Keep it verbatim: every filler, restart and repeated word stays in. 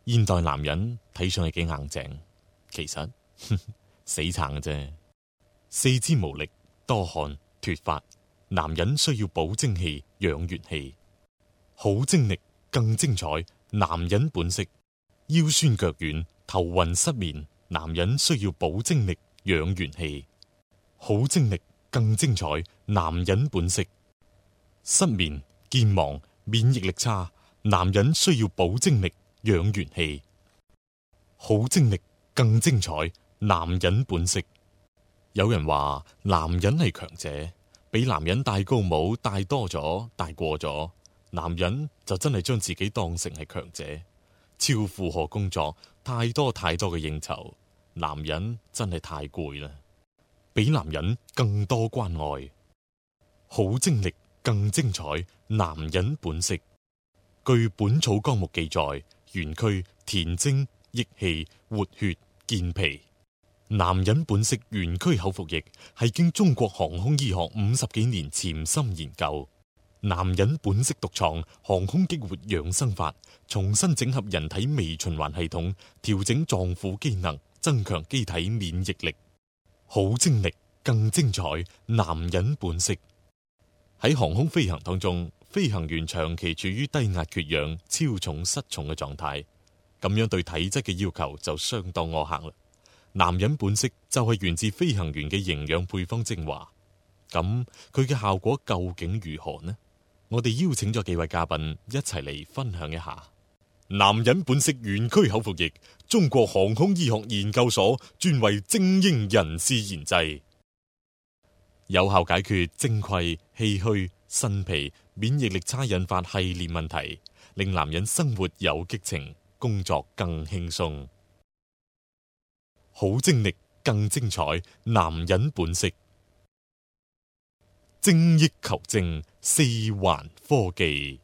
現代男人睇上去幾硬淨，其實呵呵死撐嘅啫。四肢無力、多汗、脫髮，男人需要補精氣、養元氣。好精力更精彩，男人本色。腰酸腳軟、頭暈失眠，男人需要補精力、養元氣。好精力更精彩，男人本色。失眠、健忘、免疫力差，男人需要補精力、養元氣。好精力更精彩，男人本色。有人話男人係強者，俾男人戴高帽戴多咗、戴過咗，男人就真係將自己當成係強者，超負荷工作，太多太多嘅應酬，男人真係太攰啦。俾男人更多關愛，好精力更精彩，男人本色。據《本草綱目》記載，元區填精、益氣、活血、健脾。男人本色元區口服液係經中國航空醫學五十幾年潛心研究。男人本色獨創航空激活養生法，重新整合人體微循環系統，調整臟腑機能，增強機體免疫力。好精力更精彩，男人本色。喺航空飛行當中，飛行員長期處於低壓缺氧、超重失重嘅狀態，咁樣對體質嘅要求就相當苛刻啦。男人本色就係源自飛行員嘅營養配方精華，咁佢嘅效果究竟如何呢？我哋邀請咗幾位嘉賓一齊嚟分享一下。男人本色元區口服液，中國航空醫學研究所專為精英人士研製，有效解決精潰、氣虛、腎脾、免疫力差引發系列問題，令男人生活有激情，工作更輕鬆。好精力更精彩，男人本色。精益求精，四環科技。